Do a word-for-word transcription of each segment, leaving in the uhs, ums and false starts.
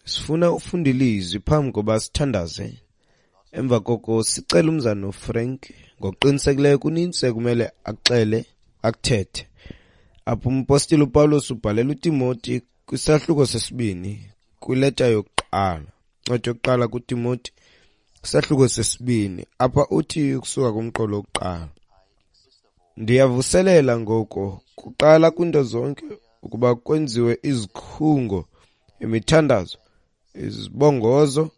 Sifuna ufunda ilizwi phambi koba sithandaze. Emva koko sicela umzana uFrank, ngokuqinisekileyo kunintsi ekumele axele, akuthethe. Apho umpostile uPawulos ubhalela uTimoti kwisahluko sesibini kwileta yokuqala. Incwadi yokuqala kuTimoti, isahluko sesibini. Apha uthi ukusuka kumqolo wokuqala: Ndiyavuselela ngoko kuqala kwinto zonke ukuba kwenziwe izikhungo, imithandazo, izibongozo,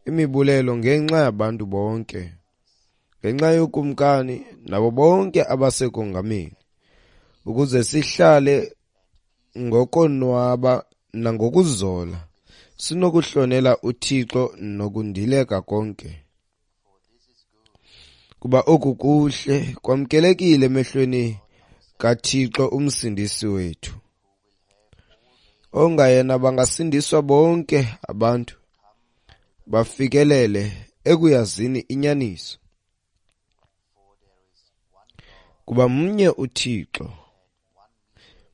imibulelo ngenxa yabantu bonke, ngenxa yokumkani nabo bonke abasekongameni, ukuze sihlale ngokonwaba nangokuzola, sinokuhlonela uThixo nokundileka konke. Kuba oku kuhle kwamkelekile emehlweni kaThixo uMsindisi wethu, ongayena bangasindiswa bonke abantu bafikelele ekuyazini inyaniso. Kuba mnye uThixo,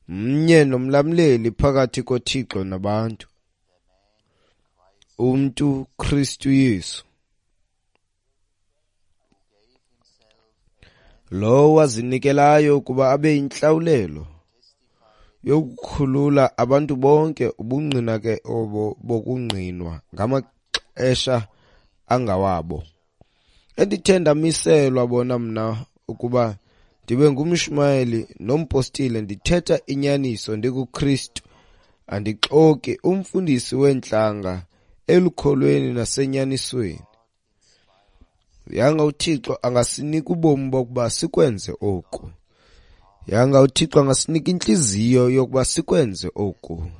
mnye nomlamleli phakathi koThixo nabantu, umntu Kristu Yesu, lowo wazinikelayo ukuba abe yintlawulelo yokukhulula abantu bonke, ubungqina ke obo bokungqinwa ngamaxesha angawabo. Endithe ndamiselwa bona mna ukuba ndibe ngumshumayeli nompostile, ndithetha inyaniso ndikuKristu, andixoki, umfundisi weentlanga elukholweni nasenyanisweni. Yanga uThixo angasinika ubomi bokuba sikwenze oku. Yanga uThixo angasinika intliziyo yokuba sikwenze oku.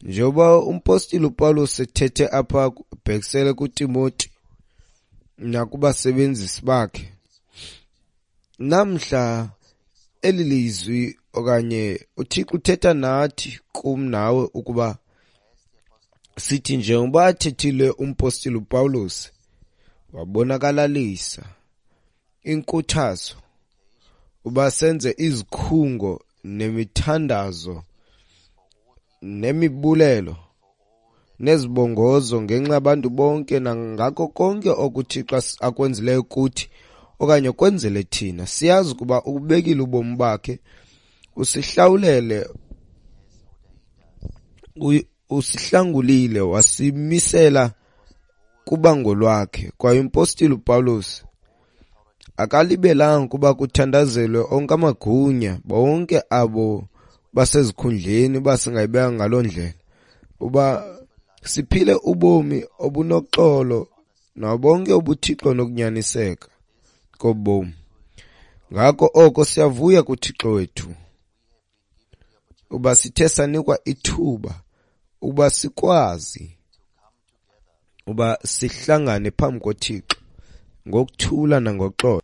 Njengoba umpostile uPawulos ethethe apha ubhekisele kuTimoti nakubasebenzisi bakhe, namhla eli lizwi okanye uThixo uthetha nathi, kum nawe, ukuba sithi njengoba athethile umpostile uPawulos, wabonakalalisa inkuthazo uba senze izikhungo nemithandazo nemibulelo nezibongozo ngenxa yabantu bonke nangako konke okuThixo akwenzileyo kuthi okanye kwenzele thina. Siyazi ukuba ubekile ubomi bakhe, usihlawulele, usihlangulile, wasimisela kubango lwakhe. Kwaye umpostile uPawulos akalibelanga kuba kuthandazelwe onke amagunya, bonke abo basezikhundleni, uba singayibeka ngaloo ndlela, uba siphile ubomi obunoxolo nabo bonke ubuThixo nokunyaniseka kobomi. Ngako oko siyavuya kuThixo wethu uba sithe sanikwa ithuba uba sikwazi uba sihlangane phambi koThixo ngokuthula nangoxolo.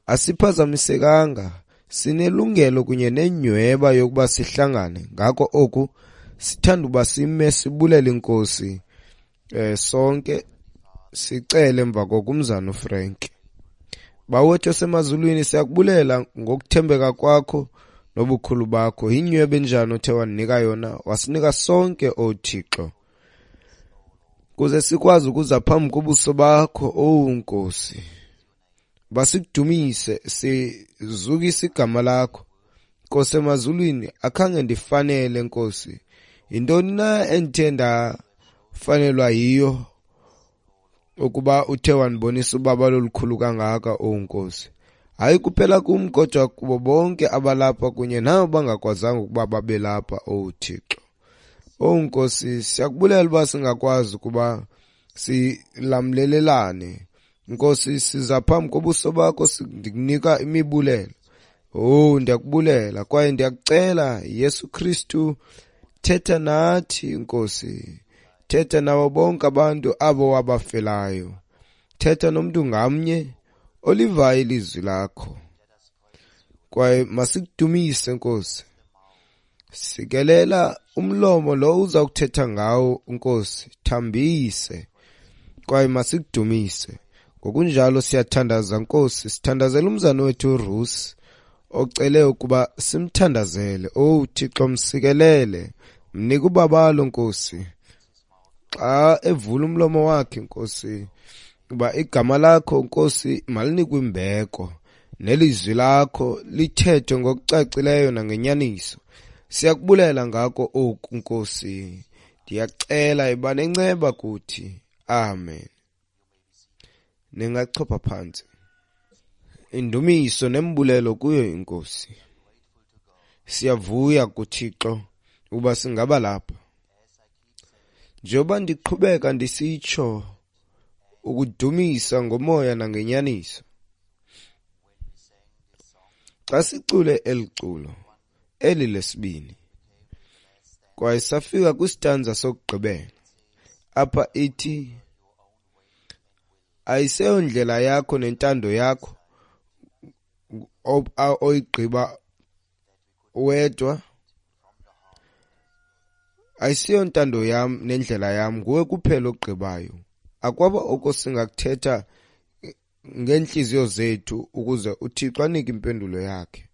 Asiphazamisekanga, sinelungelo kunye nenyhweba yokuba sihlangane. Ngako oku sithanda uba sime sibulele iNkosi eh sonke, sicele emva kokumzana uFrank. Bawethu osemazulwini, siyakubulela ngokuthembeka kwakho nobukhulu bakho. Yinyhweba enjani othe wanika yona, wasinika sonke, o Thixo, kuze sikwazi ukuza phambi kobuso bakho, o Nkosi. Basikudumise, sizukise igama lakho. Nkosi emazulwini, akhange ndifanele, Nkosi. Yintoni na endithe ndafanelwa yiyo ukuba uthe wandibonisa ubabalo olukhulu kangaka, o Nkosi? Hayi kuphela kum, kodwa kubo bonke abalapha kunye nabo bangakwazanga ukuba babe lapha, o Thixo. O Nkosi, siyakubulela uba singakwazi ukuba silamlelelane. Nkosi, siza phambi kobuso bakho, ndikunika imibulelo. Oh, ndiyakubulela kwaye ndiyakucela, Yesu Kristu, thetha nathi, Nkosi. Thetha nabo bonke abantu abo wabafelayo. Thetha nomntu ngamnye olivayo ilizwi lakho. Kwaye masikudumise, Nkosi. Sikelela umlomo lo uza kuthetha ngawo, Nkosi. Thambise kwaye masikudumise. Ngokunjalo siyathandaza, Nkosi. Sithandazela umzana wethu uRusi, ocele ukuba simthandazele. Oh Thixo, msikelele, Mnike ubabalo, Nkosi, xa evula umlomo wakhe, Nkosi, uba igama lakho, Nkosi, malinikwe imbeko nelizwi lakho lithethwe ngokucacileyo nangenyaniso. Siyakubulela ngako oku, Nkosi. Ndiyacela iba nenceba kuthi. Amen. Ningachopha phantsi. Indumiso nembulelo kuyo iNkosi. Siyavuya kuThixo ukuba singaba lapha. Njengoba ndiqhubeka ndisitsho ukudumisa ngomoya nangenyaniso. Xa sicule eli culo, eli lesibini, kwaye safika kwisitanza sokugqibela, apha ithi, ayiseyondlela yakho nentando yakho oyigqiba wedwa, ayisiyontando yam nendlela yam, nguwe kuphela ogqibayo. Akwaba oko singakuthetha ngeentliziyo zethu ukuze uThixo anike impendulo yakhe.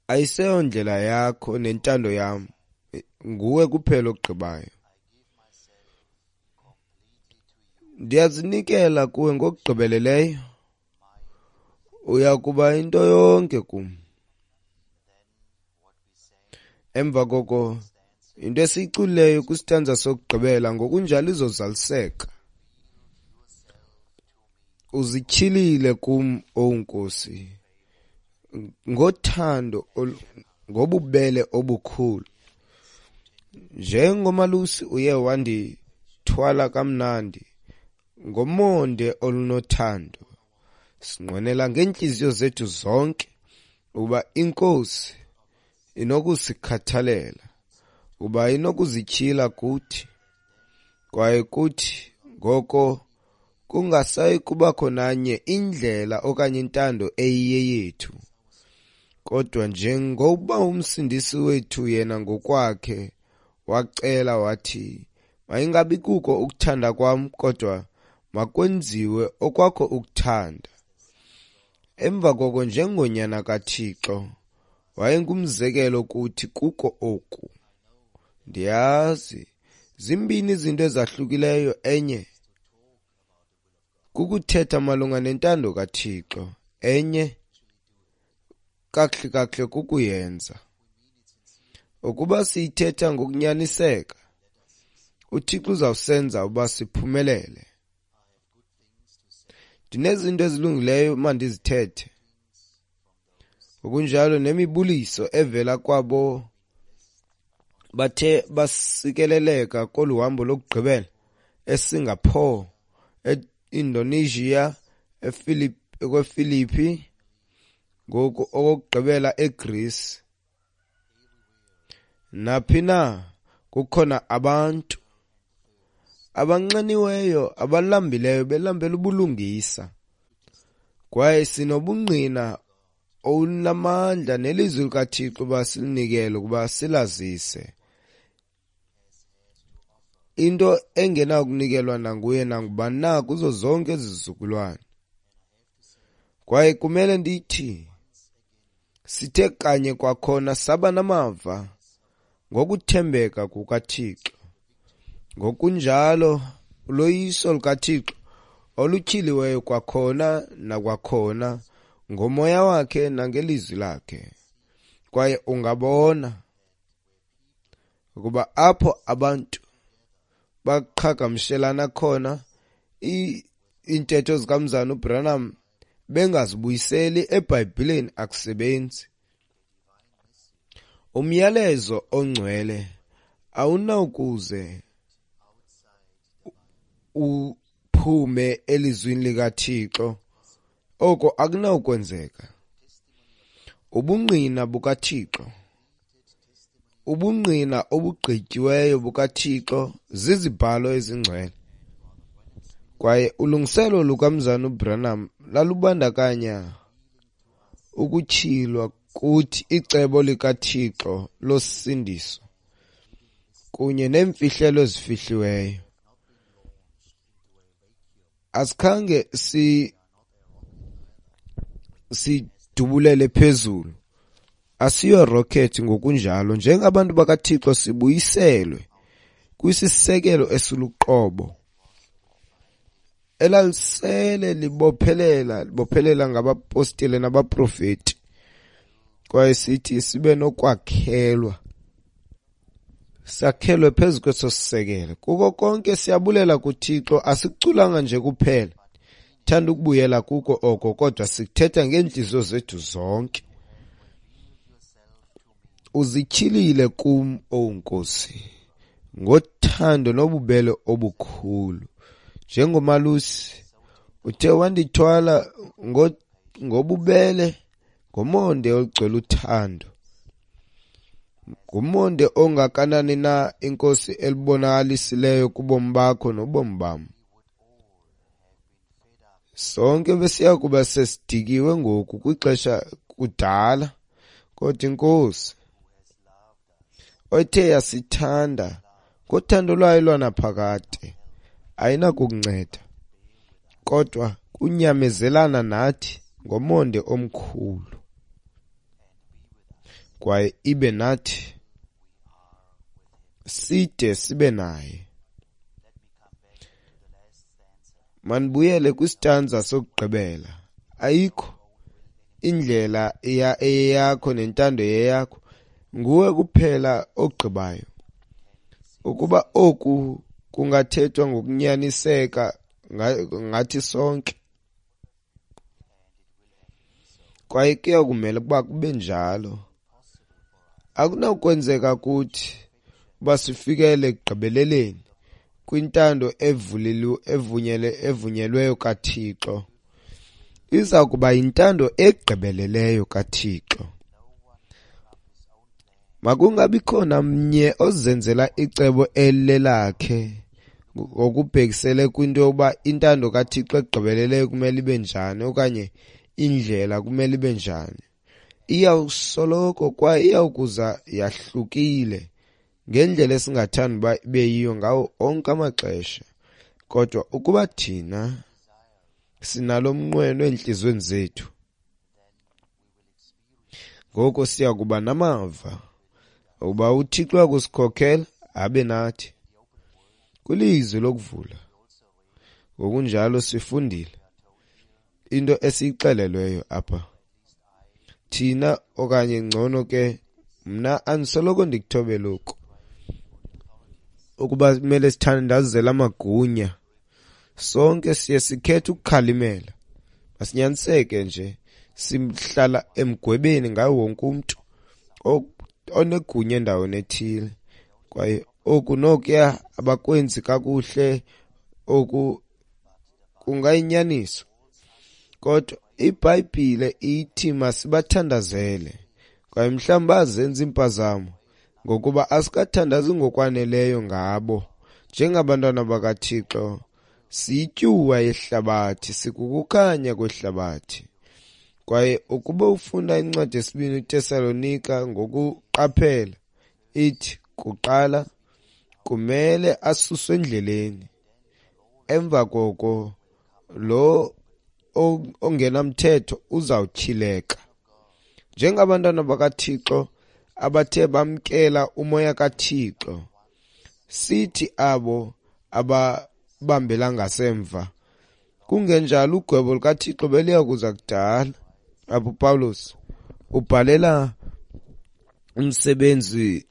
Ayiseyondlela yakho nentando yam, nguwe kuphela ogqibayo. Ndiyazinikela kuwe ngokugqibeleleyo, uya kuba into yonke kum. Emva koko into esiyiculileyo kwisitanza sokugqibela ngokunjalo izozaliseka. Uzityhilile kum, owu Nkosi, ngothando, ngobubele obukhulu. Njengomalusi uye wandithwala kamnandi ngomonde olunothando. Sinqwenela ngeentliziyo zethu zonke ukuba iNkosi inokusikhathalela, ukuba inokuzityhila kuthi, kwaye kuthi ngoko kungasayi kubakho nanye indlela okanye intando eyiyeyethu, kodwa njengokuba uMsindisi wethu yena ngokwakhe wacela wathi, mayingabi kuko ukuthanda kwam, kodwa makwenziwe okwakho ukuthanda. Emva koko njengonyana kaThixo wayengumzekelo kuthi kuko oku. Ndiyazi zimbini izinto ezahlukileyo, enye kukuthetha malunga nentando kaThixo, enye kakuhle kakuhle kukuyenza. Ukuba siyithetha ngokunyaniseka, uThixo uzawusenza uba siphumelele. Ndinezinto ezilungileyo mandizithethe, ngokunjalo nemibuliso evela kwabo bathe basikeleleka kolu hambo lokugqibela eSingapore, eIndonesia, eFiliphi, ngoku okokugqibela eGreece. Naphi na kukhona abantu abanxaniweyo, abalambileyo, belambela ubulungisa, kwaye sinobungqina olunamandla nelizwi likaThixo uba silinikele ukuba silazise. Into engenakunikelwa nanguye nangubani na kuzo zonke izizukulwane. Kwaye kumele ndithi sithe kanye kwakhona saba namava ngokuthembeka kukaThixo, ngokunjalo uloyiso lukaThixo olutyhiliweyo kwakhona nakwakhona ngomoya wakhe nangelizwi lakhe. Kwaye ungabona ukuba apho abantu baqhagamshelana khona iintetho zikaMzana uBranham bengazibuyiseli eBhayibhileni akusebenzi. Umyalezo ongcwele awunawukuze uphume elizwini likaThixo, oko akunawukwenzeka. Ubungqina bukaThixo, ubungqina obugqityiweyo bukaThixo zizibhalo ezingcwele. Kwaye ulungiselo lukaMzana uBranham lalubandakanya ukutyhilwa kuthi icebo likaThixo losindiso kunye neemfihlelo ezifihliweyo. Asikhange si sidubulele phezulu, Asiyo rocket ngokunjalo, njengabantu bakaThixo sibuyiselwe kwisisekelo esiluqobo elalisele libophelela libophelela ngabapostile nabaprofeti, kwaye sithi sibe nokwakhelwa, sakhelwe phezu kweso sisekelo. Kuko konke siyabulela kuThixo, asikuculanga nje kuphela, thanda ukubuyela kuko oko, kodwa sithetha ngeentliziyo zethu zonke. Uzityhilile kum, owu Nkosi, ngothando nobubele obukhulu. Njengomalusi uthe wandithwala ngobubele, ngomonde ogcwele uthando. Ngumonde ongakanani na iNkosi elibonakalisileyo kubomi bakho nobomi bam. Sonke besiya kuba sesidikiwe ngoku kwixesha kudala, kodwa iNkosi othe yasithanda ngothando lwayo lwanaphakade ayinakukunceda, kodwa kunyamezelana nathi ngomonde omkhulu, kwaye ibe nathi side sibe naye. Manibuyele kwisitanza sokugqibela. Ayikho indlela eyeyakho nentando yeyakho, nguwe kuphela ogqibayo. Ukuba oku kungathethwa ngokunyaniseka ngathi sonke, kwaye kuyakumele ukuba kube njalo. Akunakwenzeka kuthi uba sifikele ekugqibeleleni kwintando evunyelwe evunyelweyo kaThixo. Iza kuba yintando egqibeleleyo kaThixo. Makungabikhona mnye ozenzela icebo elilelakhe ngokubhekisele kwinto yokuba intando kaThixo egqibeleleyo kumele ibe njani okanye indlela kumele ibe njani. Iyawusoloko kwaye iyawukuza yahlukile ngendlela esingathanda uba ibe yiyo ngawo onke amaxesha. Kodwa ukuba thina sinalo mnqweno eentliziyweni zethu, ngoko siya kuba namava ukuba uThixo uyakusikhokela abe nathi kwilizwi lokuvula. Ngokunjalo sifundile into esiyixelelweyo apha thina, okanye ngcono ke mna andisoloko ndikuthobela oku, ukuba kumele sithandazele amagunya. Sonke siye sikhethe ukukhalimela, masinyaniseke nje, sihlala emgwebeni ngawo wonke umntu onegunya endaweni ethile, kwaye oku nokuya abakwenzi kakuhle, oku kungayinyaniso. Kodwa iBhayibhile ithi masibathandazele, kwaye mhlawumbi bazenza iimpazamo ngokuba asikathandazi ngokwaneleyo ngabo. Njengabantwana bakaThixo siyityuwa yehlabathi, sikukukhanya kwehlabathi. Kwaye ukuba ufunda incwadi yesibini iTesalonika ngokuqaphela, ithi kuqala kumele asuswe endleleni, emva koko lo ongenamthetho uzawutyhileka. Njengabantwana bakaThixo abathe bamkela umoya kaThixo, sithi abo ababambela ngasemva, kungenjalo ugwebo lukaThixo beliya kuza kudala. Apho Pawulos ubhalela umsebenzi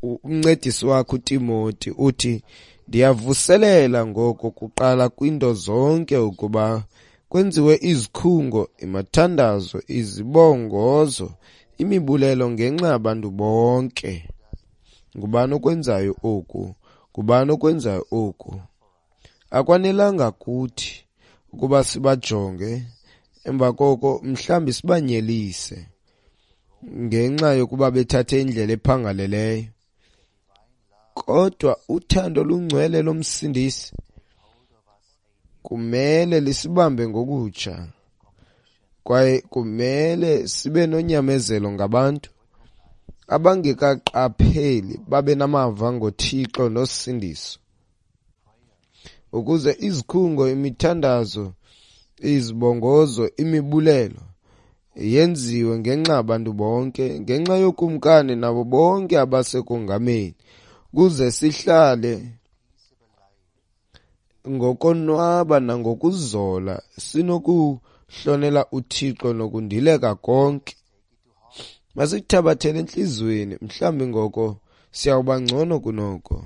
umncedisi wakhe uTimoti, uthi ndiyavuselela ngoko kuqala kwinto zonke ukuba kwenziwe izikhungo, imithandazo, izibongozo, imibulelo ngenxa yabantu bonke. Ngubani okwenzayo oku? Ngubani okwenzayo oku? Akwanelanga kuthi ukuba sibajonge emva koko mhlawumbi sibanyelise ngenxa yokuba bethathe indlela ephangaleleyo. Kodwa uthando olungcwele loMsindisi kumele lisibambe ngokutsha, kwaye kumele sibe nonyamezelo ngabantu abangekaqapheli babe namava ngoThixo nosindiso, ukuze izikhungo, imithandazo, izibongozo, imibulelo Yenziwe ngenxa yabantu bonke, ngenxa yokumkani nabo bonke abasekongameni, kuze sihlale ngokonwaba nangokuzola, sinokuhlonela uThixo nokundileka konke. Masikuthabathele entliziyweni, mhlawumbi ngoko siyawuba ngcono kunoko.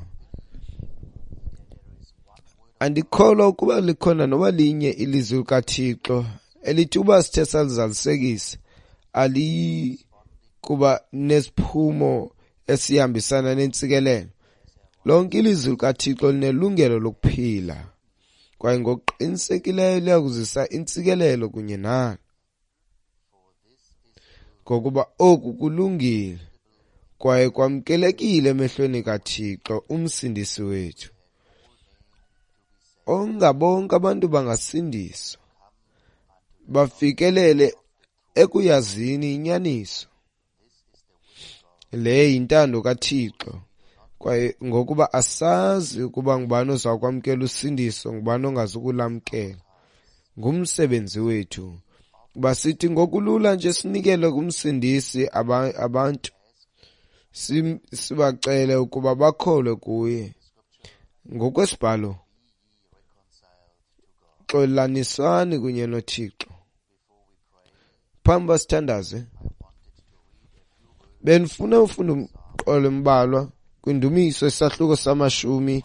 Andikholwa ukuba likhona noba linye ilizwi likaThixo elithi uba sithe salizalisekisa aliyi kuba nesiphumo esihambisana nentsikelelo. Lonke ilizwi likaThixo linelungelo lokuphila kwaye ngokuqinisekileyo liyakuzisa intsikelelo kunye nalo, ngokuba oku kulungile kwaye kwamkelekile emehlweni kaThixo uMsindisi wethu. Ongabonke abantu bangasindiswa, bafikelele ekuyazini inyaniso. Le yintando kaThixo, kwaye ngokuba asazi ukuba ngubani oza kwamkela usindiso, ngubani ongazukulamkela. Ngumsebenzi wethu uba sithi ngokulula nje sinikele kumsindisi abantu, sibacele ukuba bakholwe kuye. Ngokwesibhalo, xolanisani kunye noThixo. Phambi uba sithandaze, bendifuna ufunda umqolo embalwa kwindumiso isahluko samashumi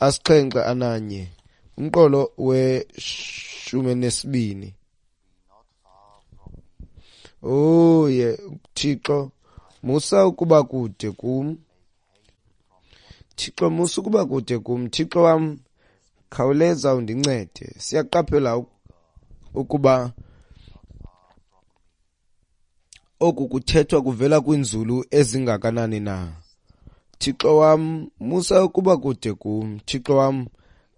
asixhenxe ananye, umqolo weshumi nesibini. Oh ye Thixo, musa ukuba kude kum. Thixo, musa ukuba kude kum. Thixo wam, khawuleza undincede. Siyaqaphela ukuba oku kuthethwa kuvela kwinzulu ezingakanani na. Thixo wam, musa ukuba kude kum. Thixo wam,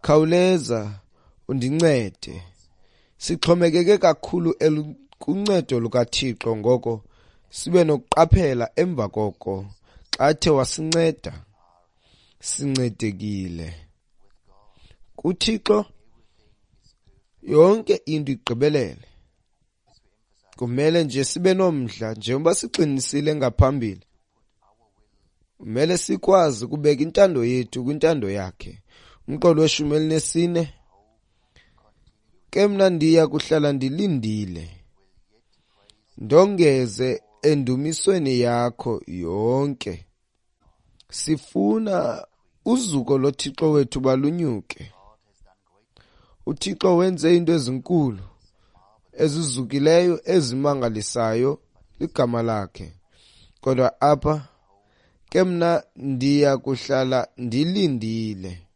khawuleza undincede. Sixhomekeke kakhulu kuncedo lukaThixo, ngoko sibe nokuqaphela emva koko xa athe wasinceda, sincedekile. KuThixo yonke into igqibelele. Kumele nje sibe nomdla, njengoba siqinisile ngaphambili. Kumele sikwazi ukubeka intando yethu kwintando yakhe. Umqolo weshumi elinesine, ke mna ndiya kuhlala ndilindile, ndongeze endumisweni yakho yonke. Sifuna uzuko loThixo wethu balunyuke. UThixo wenze into ezinkulu, ezizukileyo, ezimangalisayo, ligama lakhe. Kodwa apha ke mna ndiya kuhlala ndilindile,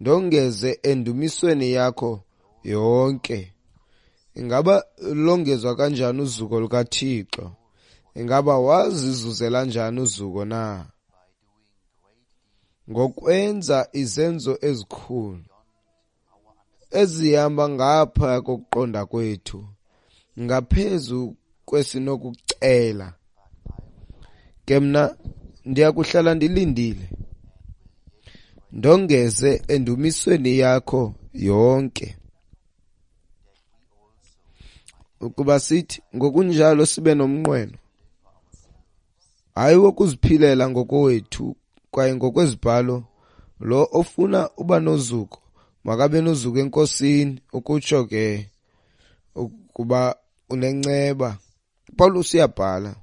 ndongeze endumisweni yakho yonke. Ingaba longezwa kanjani uzuko lukaThixo? Ingaba wazizuzela njani uzuko na? Ngokwenza izenzo ezikhulu ezihamba ngapha kokuqonda kwethu, ngaphezu kwesinokucela. Ke mna ndiya kuhlala ndilindile, ndongeze endumisweni yakho yonke. Ukuba sithi ngokunjalo sibe nomnqweno, hayi wokuziphilela ngokowethu kwaye ngokwezibhalo, lo ofuna uba nozuko makabe nozuko eNkosini, ukutsho ke ukuba unenceba. Paulus uyabhala,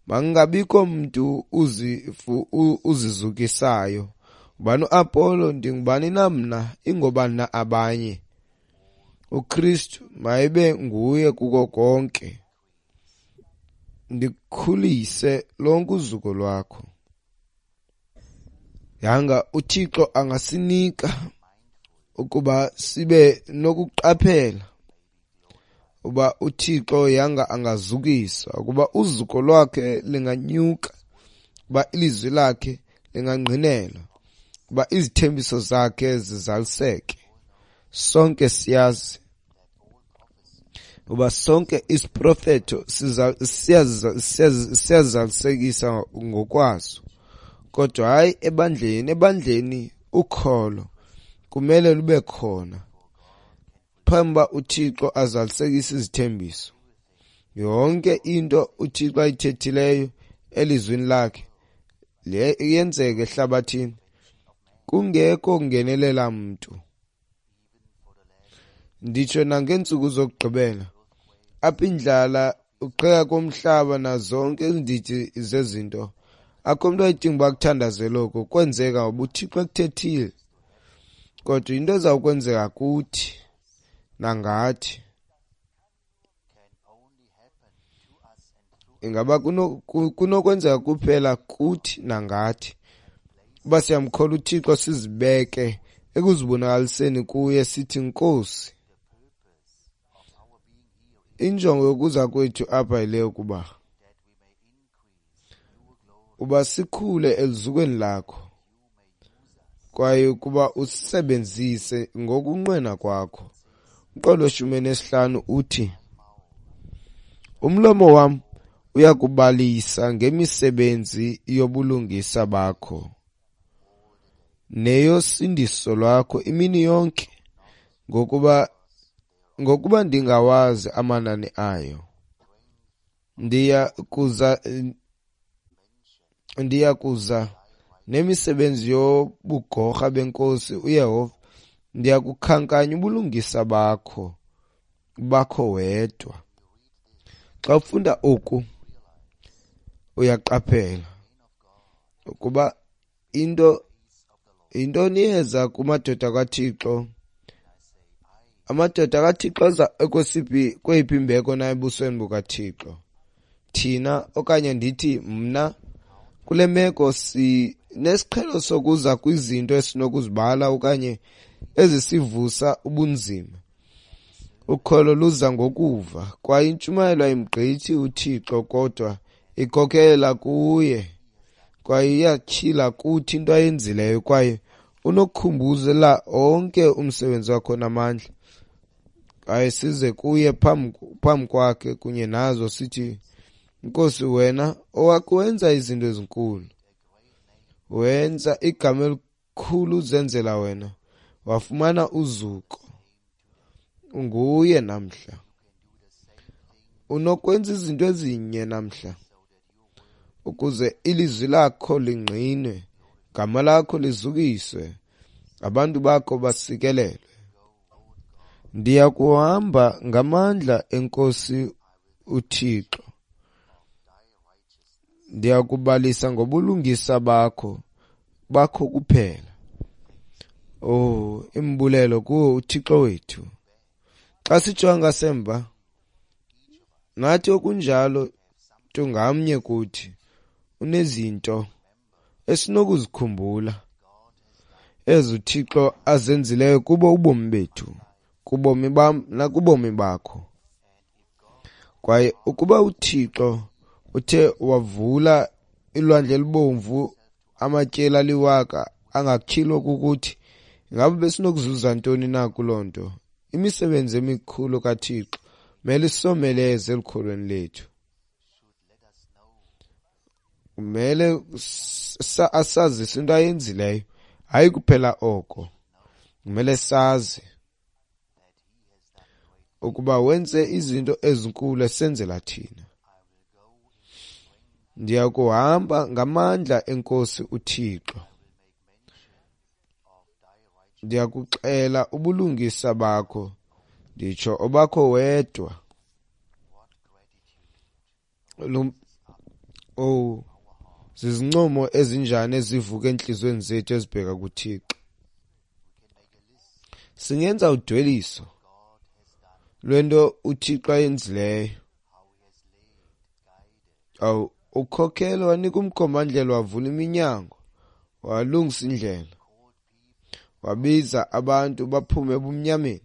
makungabikho mntu uzizukisayo. Ngubani uApollo, ndingubani na mna, ingobani na abanye? uKristu mayibe nguye kuko konke. Ndikhulise lonke uzuko lwakho. Yanga uThixo angasinika ukuba sibe nokuqaphela uba uThixo yanga angazukiswa, ukuba uzuko lwakhe linganyuka, ukuba ilizwi lakhe lingangqinelwa, ukuba izithembiso zakhe zizaliseke. Sonke siyazi uba sonke isiprofeto siyazalisekisa ngokwaso, kodwa hayi ebandleni. Ebandleni ukholo kumele lube khona phambi uba uThixo azalisekise izithembiso. Yonke into uThixo ayithethileyo elizwini lakhe le iyenzeka ehlabathini kungekho kungenelela mntu. Nditsho nangeentsuku zokugqibela apha indlala, uqheka komhlaba nazonke izindidi zezinto, akho mntu ayidinga uba kuthandazele oko, kwenzeka ngoba uThixo ekuthethile. Kodwa into ezawukwenzeka kuthi nangathi ingaba kunokwenzeka kuphela kuthi nangathi uba siyamkholwa uThixo, sizibeke ekuzibonakaliseni kuye sithi, Nkosi, injongo yokuza kwethu apha yile yokuba uba sikhule eluzukweni lakho kwaye ukuba usisebenzise ngokunqwena kwakho. Umqolo weshumi nesihlanu uthi, umlomo wam uyakubalisa ngemisebenzi yobulungisa bakho neyosindiso lwakho imini yonke, ngokuba ngokuba ndingawazi amanani ayo. Ndiya kuza ndiya kuza nemisebenzi yobugorha beNkosi uYehova, ndiya kukhankanya ubulungisa bakho bakho wedwa. Xa ufunda oku uyaqaphela ukuba into intoni yeza kumadoda kaThixo. Amadoda kaThixo aza ekwesiphi kweyiphi imbeko na ebusweni bukaThixo? Thina okanye ndithi mna kule meko sinesiqhelo sokuza kwizinto esinokuzibala okanye ezisivusa ubunzima. Ukholo luza ngokuva, kwaye intshumayelo ayimgqithi uThixo kodwa ikhokelela kuye, kwaye iyatyhila kuthi into ayenzileyo, kwaye unokukhumbuzela onke umsebenzi wakho namandla. Kwaye size kuye phambi phambi kwakhe kunye nazo sithi, Nkosi, wena owakwenza izinto ezinkulu, wenza igama elikhulu uzenzela wena, wafumana uzuko. Unguye namhla. Unokwenza izinto ezinye namhla ukuze ilizwi lakho lingqinwe, gama lakho lizukiswe, abantu bakho basikelelwe. Ndiya kuhamba ngamandla eNkosi uThixo, ndiya kubalisa ngobulungisa bakho bakho kuphela. Oh, imbulelo kuwo uThixo wethu. Xa sijonga ngasemva, nathi okunjalo mntu ngamnye kuthi unezinto esinokuzikhumbula ezi uThixo azenzileyo kubo ubomi bethu, kubomi bam nakubomi bakho. Kwaye ukuba uThixo uthe wavula ilwandle elibomvu amatyeli aliwaka angatyhilwa kukuthi, ingaba besinokuzuza ntoni na kuloo nto? Imisebenzi emikhulu kaThixo mele isomeleze elukholweni lethu. Kumele asazise into ayenzileyo, hayi kuphela oko. Kumele sazi ukuba wenze izinto ezinkulu esenzela thina. Ndiya kuhamba ngamandla eNkosi uThixo, ndiya kuxela ubulungisa bakho, nditsho obakho wedwa. Oh, zizincomo ezinjani ezivuka entliziyweni zethu ezibheka kuThixo. Singenza udweliso lwento uThixo ayenzileyo. Awu, ukhokhelo wanika umkhombandlela, wavula iminyango, walungisa indlela, wabiza abantu baphume ebumnyameni,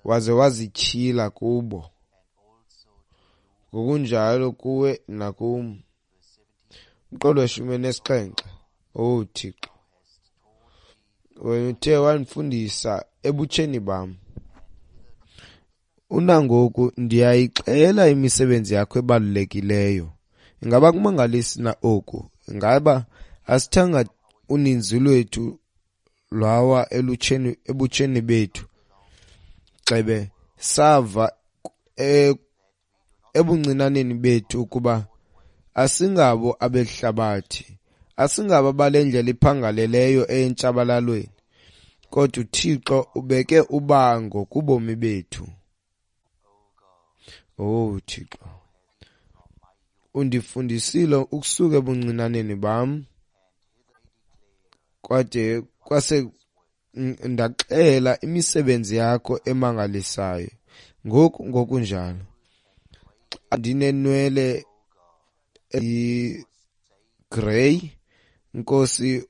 waze wazityhila kubo, ngokunjalo kuwe nakum. Umqolo weshumi nesixhenxe. Oh Thixo, wena uthe wandifundisa ebutsheni bam, unangoku ndiyayixela imisebenzi yakho ebalulekileyo. Ingaba kumangalisi na oku? Ingaba asithanga uninzi lwethu lwawa elutsheni ebutsheni bethu, Gxebe sava ebuncinaneni bethu ukuba asingabo abehlabathi, asingabo bale ndlela iphangaleleyo entshabalalweni, kodwa uThixo ubeke ubango kubomi bethu. Oh Thixo, undifundisile ukusuka ebuncinaneni bam, kwade kwase ndaxela imisebenzi yakho emangalisayo. Ngoku ngokunjalo xa ndinenwele ezigrey, Nkosi,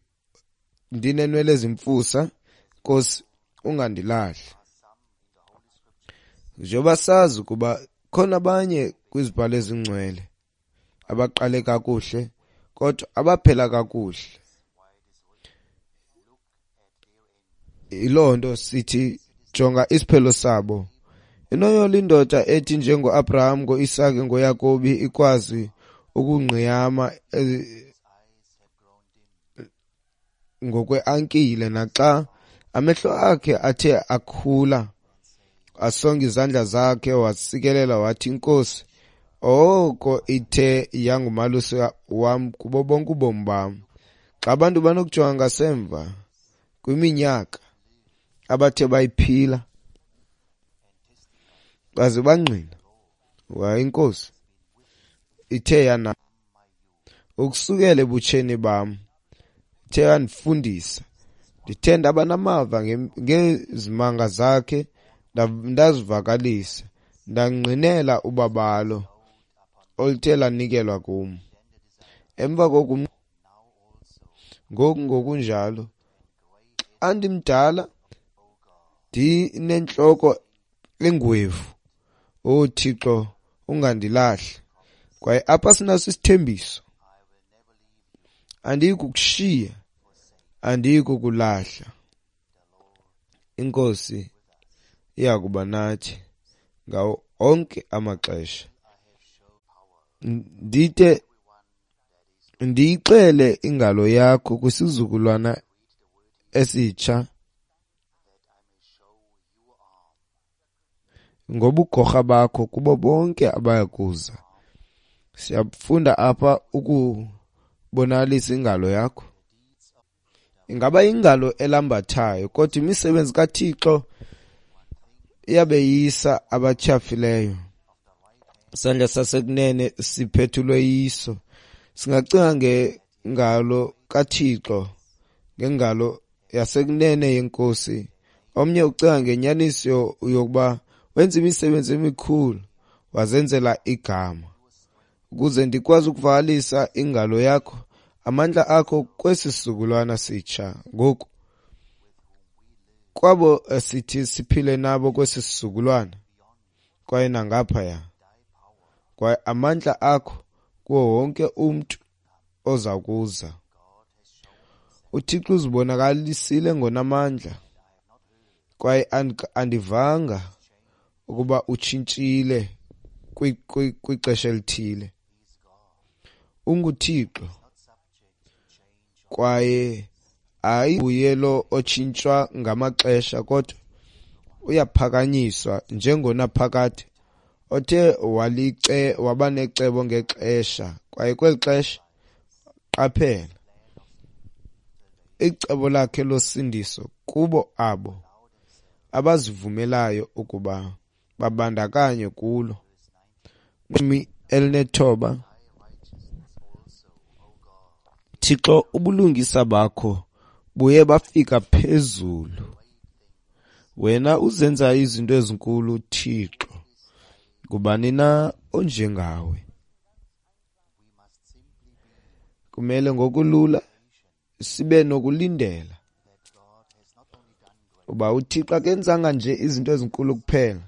ndinenwele ezimfusa, Nkosi, ungandilahli. Njengoba sazi ukuba khona abanye kwizibhalo ezingcwele abaqale kakuhle kodwa abaphela kakuhle. Yiloo nto sithi jonga isiphelo sabo. Inoyolo indoda ethi njengoAbraham, ngoIsake, ngoYakobi ikwazi ukungqiyama ngokweankile, naxa amehlo akhe athe akhula, asonga izandla zakhe wasikelela wathi, Nkosi, oko ithe yangumalusi wam kubo bonke ubomi bam. Xa abantu banokujonga ngasemva kwiminyaka abathe bayiphila baze bangqina, waye iNkosi ithe yana ukusukela ebutsheni bam, ithe yandifundisa, ndithe ndaba namava ngezimanga zakhe, ndazivakalisa, ndangqinela ubabalo oluthe lanikelwa kum. Emva koku ngoku ngokunjalo xa ndimdala ndinentloko engwevu, O Thixo, ungandilahli. Kwaye apha sinaso isithembiso, andiyi kukushiya, andiyi kukulahla. INkosi iya kuba nathi ngawo onke amaxesha. Ndide ndiyixele ingalo yakho kwisizukulwana esitsha ngobugorha bakho kubo bonke abaya kuza. Siyafunda apha ukubonakalisa ingalo yakho. Ingaba ingalo elambathayo, kodwa imisebenzi kaThixo iyabeyisa abatyhafileyo. Isandla sasekunene siphethulwe yiso. Singacinga ngengalo kaThixo, ngengalo yasekunene yeNkosi. Omnye ucinga ngenyaniso yokuba wenza imisebenzi emikhulu, wazenzela igama. Ukuze ndikwazi ukuvakalisa ingalo yakho, amandla akho kwesi sizukulwana sitsha. Ngoku kwabo sithi siphile nabo kwesi sizukulwana kwaye nangaphaya, kwaye amandla akho kuwo wonke umntu oza kuza. UThixo uzibonakalisile ngonamandla, kwaye andivanga ukuba utshintshile kwixesha elithile. UnguThixo kwaye ayinguye lo otshintshwa ngamaxesha, kodwa uyaphakanyiswa njengonaphakade othe walice waba necebo ngexesha, kwaye kweli xesha qaphela icebo lakhe losindiso kubo abo abazivumelayo ukuba babandakanywe kulo. Elinethoba. Thixo, ubulungisa bakho buye bafika phezulu. Wena uzenza izinto ezinkulu, Thixo. Ngubani na onjengawe? Kumele ngokulula sibe nokulindela uba uThixo akenzanga nje izinto ezinkulu kuphela,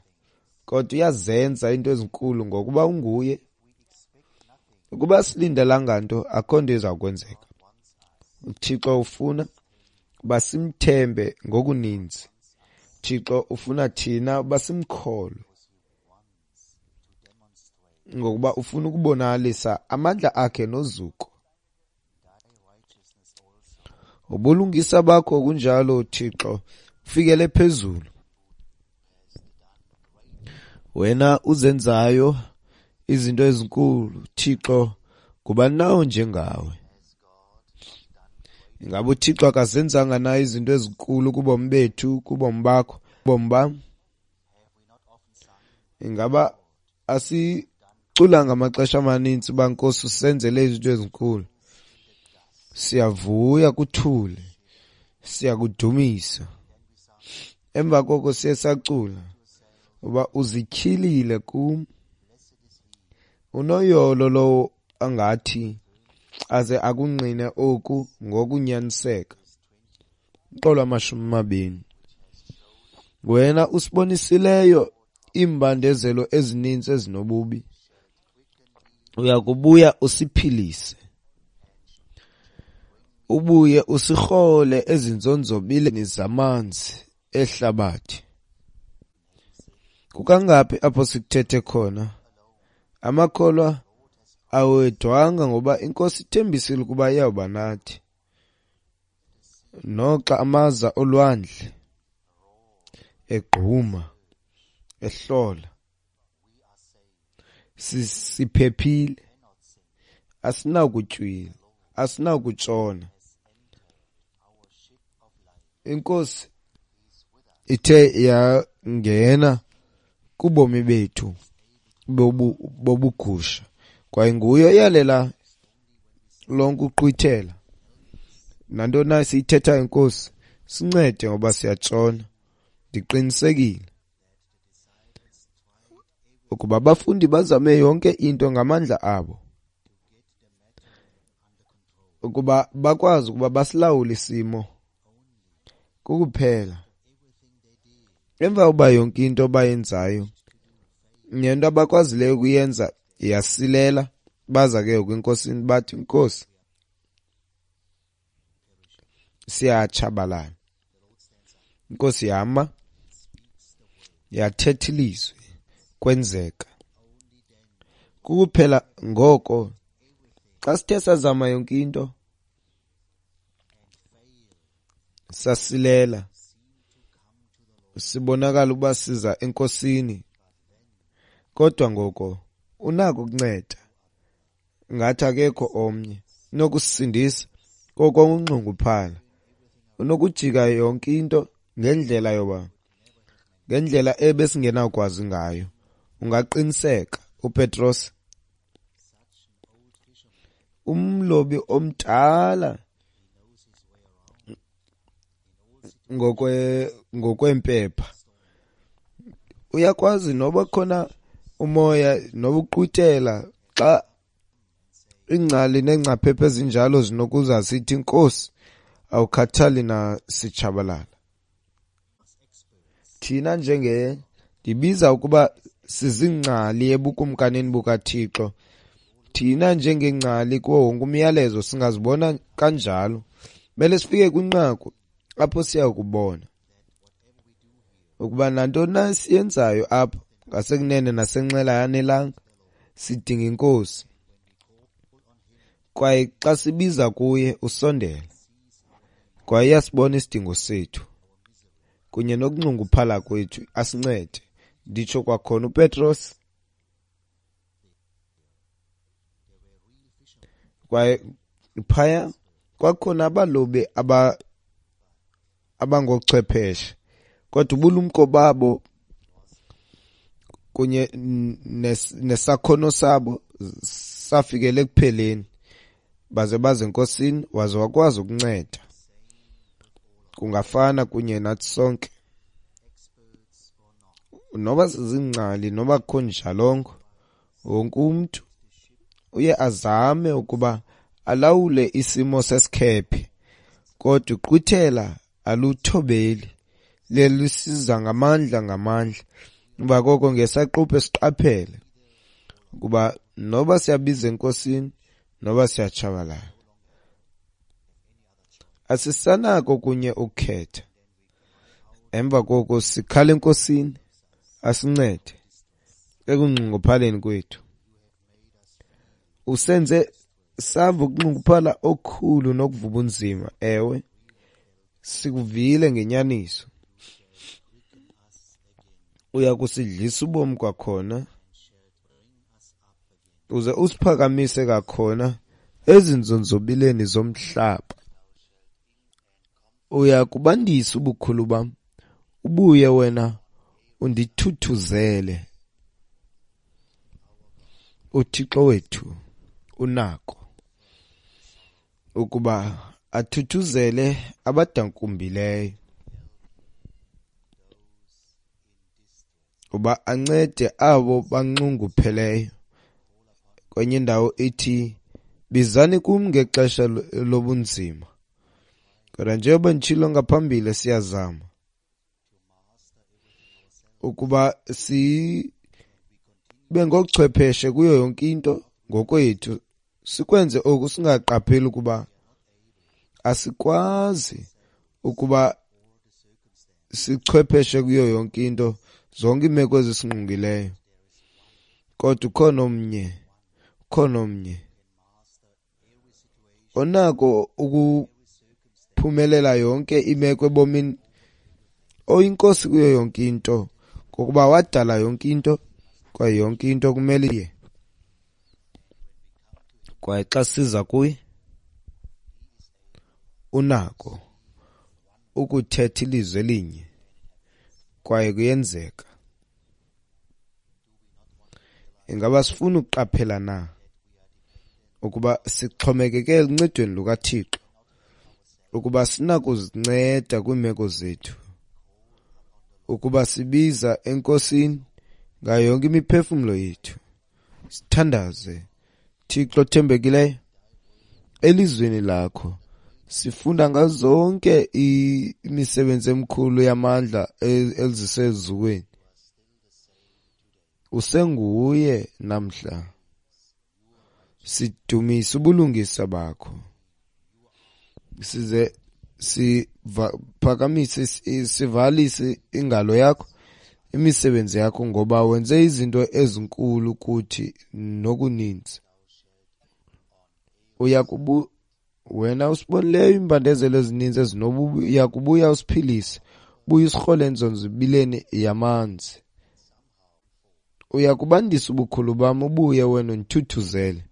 kodwa uyazenza into ezinkulu ngokuba unguye. Ukuba silindelanga nto, akho nto iza kwenzeka. uThixo ufuna uba simthembe ngokuninzi. Thixo ufuna thina uba simkholwe, ngokuba ufuna ukubonakalisa amandla akhe nozuko. Ubulungisa bakho kunjalo, Thixo, ufikele phezulu. Wena uzenzayo izinto ezinkulu, Thixo, ngubani na onjengawe? Ingaba uThixo akazenzanga na izinto ezinkulu kubomi bethu, kubomi bakho, kubomi bam? Ingaba asiculanga amaxesha amaninzi uba Nkosi usenzele izinto ezinkulu? Siyavuya kuthule, siyakudumisa. Emva koko siye sacula uba uzityhilile kum. Unoyolo lowo angathi aze akungqine oku ngokunyaniseka. Umqolo wamashumi amabini. Wena usibonisileyo iimbandezelo ezininzi ezinobubi, uyakubuya usiphilise, ubuye usirhole ezinzonzobileni zamanzi ehlabathi. Kukangaphi apho sikuthethe khona? Amakholwa awedwanga ngoba iNkosi ithembisile ukuba iyawuba nathi. Noxa amaza olwandle egquma, ehlola, siphephile, asinakutywila, asinakutshona. INkosi ithe yangena kubomi bethu bobugusha, kwaye nguye oyalela lonke uqhwithela. Nantoni na siyithethayo, Nkosi, sincede ngoba siyatshona. Ndiqinisekile ukuba abafundi bazame yonke into ngamandla abo ukuba bakwazi ukuba basilawule isimo kukuphela. Emva kokuba yonke into bayenzayo nento abakwazileyo ukuyenza yasilela, baza ke ngoku eNkosini bathi, Nkosi, siyatshabalala. INkosi yama, yathetha ilizwi, kwenzeka. Kukuphela ngoko xa sithe sazama yonke into sasilela, sibonakala ukuba siza eNkosini, kodwa ngoko unako ukunceda. Ngathi akekho omnye unokusindisa koko unxunguphala, unokujika yonke into ngendlela yoba ngendlela ebesingenakwazi ngayo. Ungaqiniseka uPetros, umlobi omdala ngokwe ngokwempepha, uyakwazi noba khona umoya noba uqhwithela xa ingcali neengcaphephe ezinjalo zinokuza sithi, Nkosi, awukhathali na sitshabalala. Thina njenge ndibiza ukuba sizingcali ebukumkanini bukaThixo, thina njengengcali kuwo wonke umyalezo singazibona kanjalo. Mele sifike kwinqaku apho siya kubona ukuba nantoni na siyenzayo apha ngasekunene nasenxele ayanelanga, sidinga iNkosi. Kwaye xa sibiza kuye usondela, kwaye uyasibona isidingo sethu kunye nokunxunguphala kwethu, asincede. Nditsho kwakhona uPetros, kwaye phaya kwakhona abalobi aba abangochwepheshe, kodwa ubulumko babo kunye nesakhono sabo safikele ekupheleni. Baze baze eNkosini, waze wakwazi ukunceda. Kungafana kunye nathi sonke, noba sizingcali noba kukho njalongo, wonke umntu uye azame ukuba alawule isimo sesikhephe, kodwa uqhwithela aluthobeli, lelisiza ngamandla ngamandla. Emva koko ngesaquphe siqaphele ukuba noba siyabiza eNkosini noba siyatshabalala, asisanako kunye ukukhetha. Emva koko sikhala eNkosini asincede ekunxunguphaleni kwethu. Usenze sava ukunxunguphala okukhulu nokuvuba unzima. Ewe, sikuvile ngenyaniso. Uya kusidlisa ubomi kwakhona, uze usiphakamise kwakhona ezinzonzobileni zomhlaba. Uya kubandisa ubukhulu bam, ubuye wena undithuthuzele. UThixo wethu unako ukuba athuthuzele abadakumbileyo, uba ancede abo banxungupheleyo. Kwenye indawo ithi, bizani kum ngexesha lobunzima. Kodwa njengoba nditshilo ngaphambili, siyazama ukuba sibe ngoochwepheshe kuyo yonke into ngokwethu, sikwenze oku singaqapheli ukuba asikwazi ukuba sichwepheshe kuyo yonke into, zonke iimeko ezisingqongileyo. Kodwa ukhona omnye, ukhona omnye onako ukuphumelela yonke imeko ebomini, oyinkosi kuyo yonke into, ngokuba wadala yonke into, kwaye yonke into kumele iye. Kwaye xa siza kuye, unako ukuthetha ilizwi elinye, kwaye kuyenzeka. Ingaba sifuna ukuqaphela na ukuba sixhomekeke eluncedweni lukaThixo, ukuba sinakuzinceda kwiimeko zethu, ukuba sibiza eNkosini ngayo yonke imiphefumlo yethu, sithandaze. Thixo othembekileyo, elizwini lakho sifunda ngazo zonke imisebenzi emikhulu yamandla elizise ezulwini. Usenguye namhla. Sidumisa ubulungisa bakho, size siphakamise, sivalise ingalo yakho, imisebenzi yakho, ngoba wenze izinto ezinkulu kuthi nokuninzi. Uyakubu wena usibonileyo iimbandezelo ezininzi ezinobubi, uyakubuya usiphilise, ubuye usirhole enzonzobileni yamanzi. Uyakubandisa ubukhulu bam, ubuye wena undithuthuzele.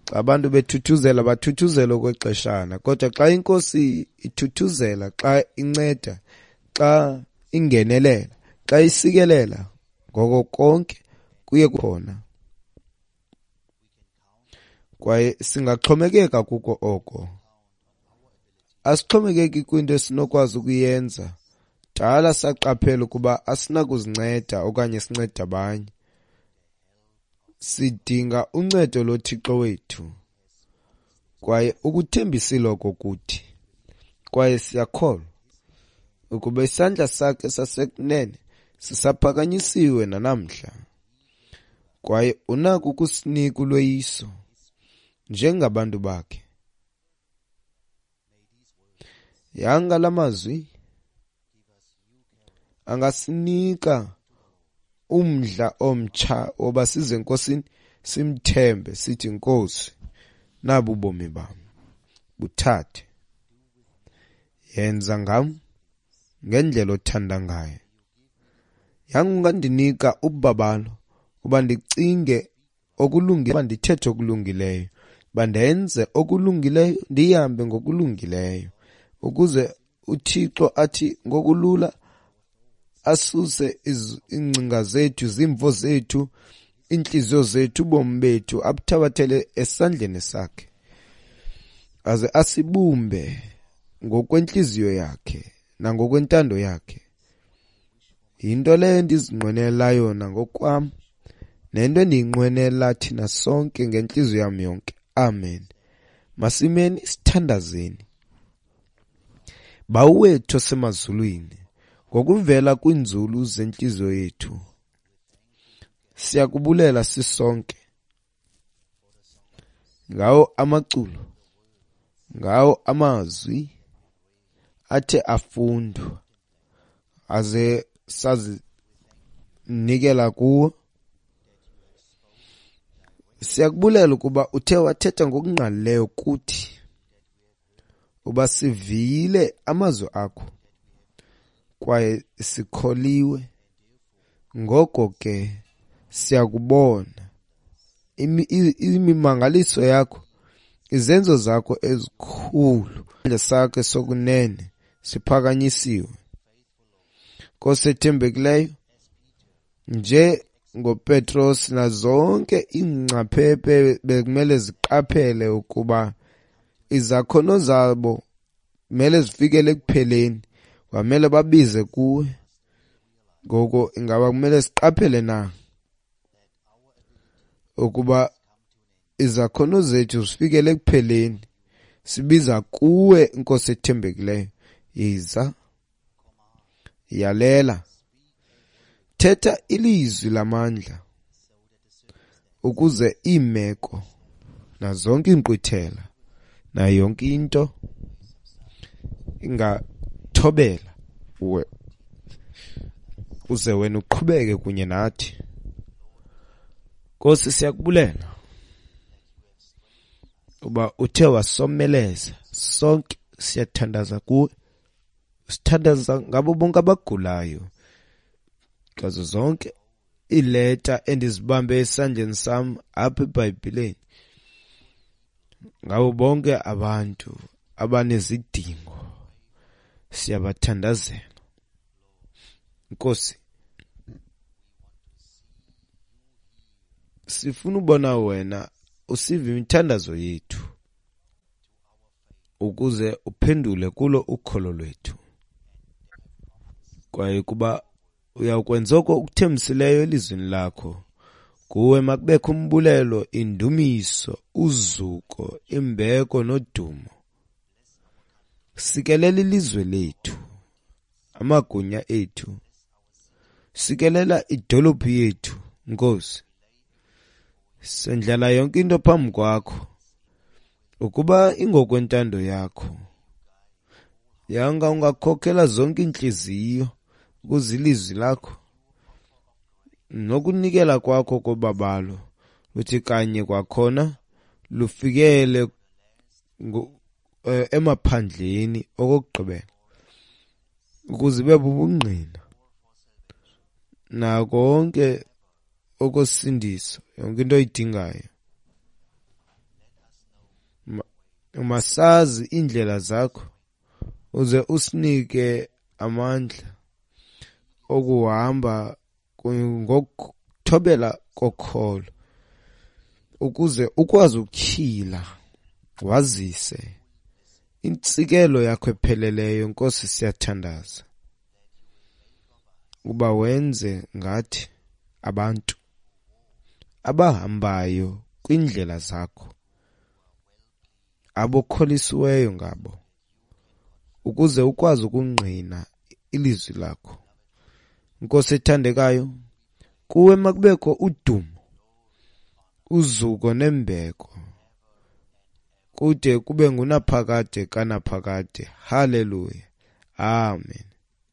Xa abantu bethuthuzela, bathuthuzela okwexeshana, kodwa xa iNkosi ithuthuzela, xa inceda, xa ingenelela, xa isikelela, ngoko konke kuye khona. Kwaye singaxhomekeka kuko oko. Asixhomekeki kwinto esinokwazi ukuyenza. Dala saqaphela ukuba asinakuzinceda okanye sincede abanye. Sidinga uncedo loThixo wethu, kwaye ukuthembisile oko kuthi. Kwaye siyakholwa ukuba isandla sakhe sasekunene sisaphakanyisiwe nanamhla, kwaye unako ukusinika ulweyiso njengabantu bakhe. Yanga la mazwi angasinika umdla omtsha woba size eNkosini, simthembe, sithi, Nkosi, nabu ubomi bam, buthathe, yenza ngam ngendlela othanda ngayo. Yanga ungandinika ubabalo uba ndicinge okulungileyo, uba ndithethe okulungileyo, uba ndenze okulungileyo, ndihambe ngokulungileyo, ukuze uThixo athi ngokulula asuse iingcinga zethu, izimvo zethu, iintliziyo zethu, ubomi bethu, abuthabathele esandleni sakhe, aze asibumbe ngokwentliziyo yakhe nangokwentando yakhe. Yinto leyo endizinqwenela yona ngokwam, nento endiyinqwenela thina sonke ngentliziyo yam yonke. Amen. Masimeni sithandazeni. Bawo wethu osemazulwini, ngokuvela kwiinzulu zentliziyo yethu, siyakubulela sisonke ngawo amaculo, ngawo amazwi athe afundwa aze sazinikela kuwo. Siyakubulela ukuba uthe wathetha ngokungqalileyo kuthi, uba sivile amazwi akho kwaye sikholiwe. Ngoko ke siyakubona imimangaliso yakho, izenzo zakho ezikhulu, isandla sakhe sokunene siphakanyisiwe. Nkosi ethembekileyo, nje ngoPetros nazonke iingcaphephe bekumele ziqaphele ukuba izakhono zabo kumele zifikele ekupheleni, kwamele babize kuwe. Ngoko ingaba kumele siqaphele na ukuba izakhono zethu zifikele ekupheleni, sibiza kuwe, Nkosi ethembekileyo. Yiza, yalela, thetha ilizwi lamandla ukuze iimeko nazonke iinkqwithela nayo yonke into ingathobela uwe, uze wena uqhubeke kunye nathi. Nkosi, siyakubulela uba uthe wasomeleza sonke. Siyathandaza kuwe, sithandaza ngabo bonke abagulayo, ngazo zonke iileta endizibambe esandleni sam apha eBhayibhileni, ngabo bonke abantu abanezidingo, siyabathandazela. Nkosi, sifuna ubona wena usiva imithandazo yethu ukuze uphendule kulo ukholo lwethu, kwaye kuba uyawukwenza oko ukuthembisileyo elizwini lakho. Kuwe makubekho umbulelo, indumiso, uzuko, imbeko nodumo. Sikelela ilizwe lethu, amagunya ethu, sikelela idolophu yethu, Nkosi. Sendlala yonke into phambi kwakho ukuba ingokwentando yakho. Yanga ungakhokhela zonke iintliziyo ukuze ilizwi lakho nokunikela kwakho kobabalo uthi kanye kwakhona lufikele emaphandleni okokugqibela, ukuze ibe bubungqina nako konke okosindiso, yonke into oyidingayo. Masazi iindlela zakho uze usinike amandla okuhamba ngokuthobela kokholo, ukuze ukwazi ukutyhila wazise intsikelo yakho epheleleyo. Nkosi, siyathandaza uba wenze ngathi abantu abahambayo kwiindlela zakho, abokholisiweyo ngabo, ukuze ukwazi ukungqina ilizwi lakho. Nkosi ethandekayo, kuwe makubekho udumo, uzuko nembeko kude kube ngunaphakade kanaphakade. Haleluya, amen.